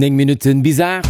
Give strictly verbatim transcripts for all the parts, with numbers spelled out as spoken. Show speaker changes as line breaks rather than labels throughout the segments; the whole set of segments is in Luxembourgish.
Néng Minutten bis aacht.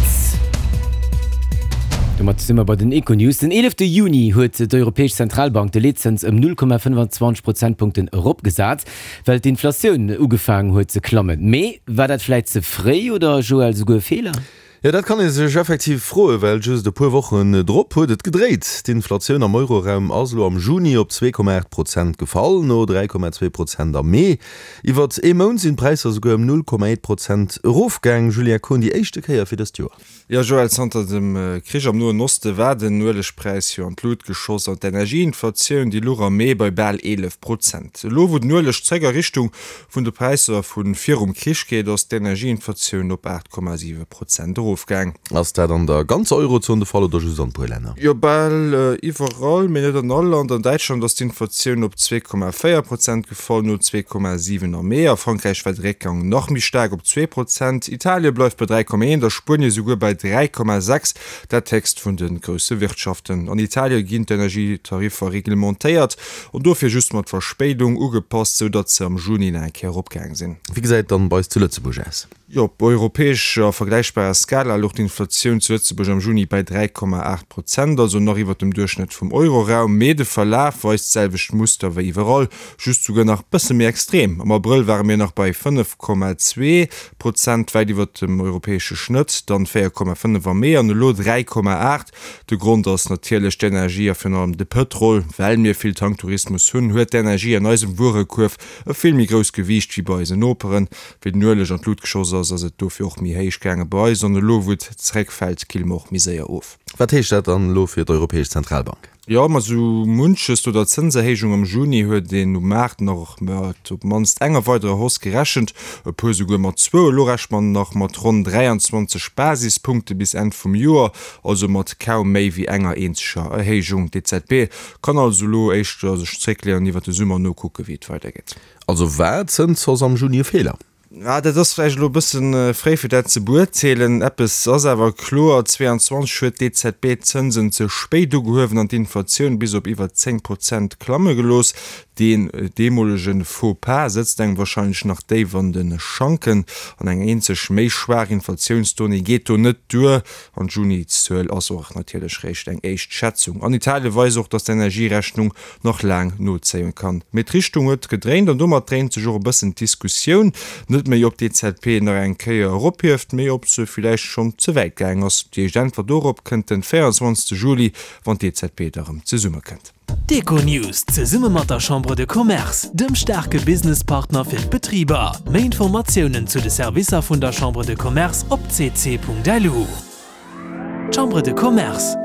Domat si mer bei den Econews. Den eelefte Juni huet d'Europäesch Zentralbank de Leetzëns ëm null Komma fënnwanzwanzeg Prozentpunkten eropgesat, well d'Inflatioun ugefaangen huet ze klammen. Mee war dat vläit ze fréi oder, Joël, souguer e Feeler?
Jo, dat kann ee sech effektiv froen, well just e puer Wochen drop huet et gedréit. D'Inflatioun am Euroraum ass elo am Juni op zwee Komma aacht Prozent gefall, no dräi Komma zwee Prozent am Mee. Iwwert ee Mount sinn d'Präisser souguer ëm null Komma eent Prozent erofgaang. Julien Kohn, déi éischte Kéier fir dëst Joer.
Jo, Joël, zanter dem Krich am Noen Oste war den Uelegpräis jo an d'Lut geschoss an d'Energieinflatioun, déi luch am Mee bei bal eelef Prozent. Elo wou den Ueleg zréck a Richtung vun de Präisser vu virum Krich geet, ass d'Energieinflatioun op aacht Komma siwe Prozent erofgaang.
Ass dat an der ganzer Eurozon de Fall oder just an e puer Länner?
Jo, bal iwwerall, mee net an all Land. An Däitschland ass d'Inflatioun op zwee Komma véier Prozent gefall, no zwee Komma siwen am Mee. A Frankräich war de Réckgang nach méi staark op zwee Prozent. Italie bleift bei dräi Komma eent a Spuenie souguer bei dräi Komma sechs, dat héchst vun de grousse Wirtschaften. An Italie ginn d'Energietariffer reglementéiert an dofir just mat Verspéidung ugepasst, sou datt se am Juni nach eng Kéier eropgaang sinn.
Wéi gesäit et dann bei eis zu Lëtzebuerg aus?
Jo, op europäescher a vergläichbarer Skala louch d'Inflatioun zu Lëtzebuerg am Juni bei dräi Komma aacht Prozent, also nach iwwer dem Duerchschnëtt vum Euroraum. Mee de Verlaf weist d'selwecht Muster wéi iwwerall, just souguer nach bësse méi extrem. Am Abrëll ware mir nach bei fënnef Komma zwee Prozent, wäit iwwer dem europäesche Schnëtt, dann véier Komma fënnef am Mee an elo dräi Komma aacht. De Grond ass natierlech d'Energie a virun allem de Pëtrol. Well mir vill Tanktourismus hunn, huet d'Energie an eisem Wuerekuerf e vill méi grousst Gewiicht wéi bei eisen Noperen. Wéi den Ueleg an d'Lut geschoss ass, ass et dofir och méi héich gaange bei eis an elo wou et zeréckfält, kille mer och méi séier of.
Wat heescht dat dann elo fir d'Europäesch Zentralbank?
Jo, ma sou munches no der Zënserhéijung am Juni huet een um Maart nach mat op d'mannst enger weiderer Hausse gerechent, e puer souguer mat zwou. Elo rechent man nach mat ronn dräianzwanzeg Basispunkte bis Enn vum Joer, also mat kaum méi wéi enger eenzeger Erhéijung. D'EZB kann also elo éischter sech zréckleeën an iwwer de Summer nokucke wéi et weidergeet.
Also war d'Zënshausse am Juni e Feeler?
Ah, dat ass vläicht elo e bësse fréi fir dat ze beurteelen. Eppes ass awer kloer, zweeanzwanzeg huet d'EZB d'Zënsen ze spéit ugehuewen an d'Inflatioun bis op iwwer zéng Prozent klamme gelooss. Deen deemolege Faux pas sëtzt engem warscheinlech nach déif an de Schanken. An eng eenzeg méi schwaach Inflatiounsdonnée geet do net duer. An d'Juni-Zuel ass och natierlech réischt eng éischt Schätzung. An Italie weist och, datt d'Energierechnung nach laang nozéien kann. Mee d'Richtung huet gedréint an domat dréint sech och e bëssen d'Diskussioun. Net méi ob d'EZB nach eng Kéier erophieft, mee ob se villäicht schonn ze wäit gaang ass. Déi éischt Äntwert dorop kënnt den véierundzwanzegste Juli, wann d'EZB da rëm zesummekënnt.
D'Econews zesumme mat der Chambre de Commerce, dem staarke Businesspartner fir d'Betriber. Méi Informatiounen zu de Servicer vun der Chambre de Commerce op cc.lu. Chambre de Commerce,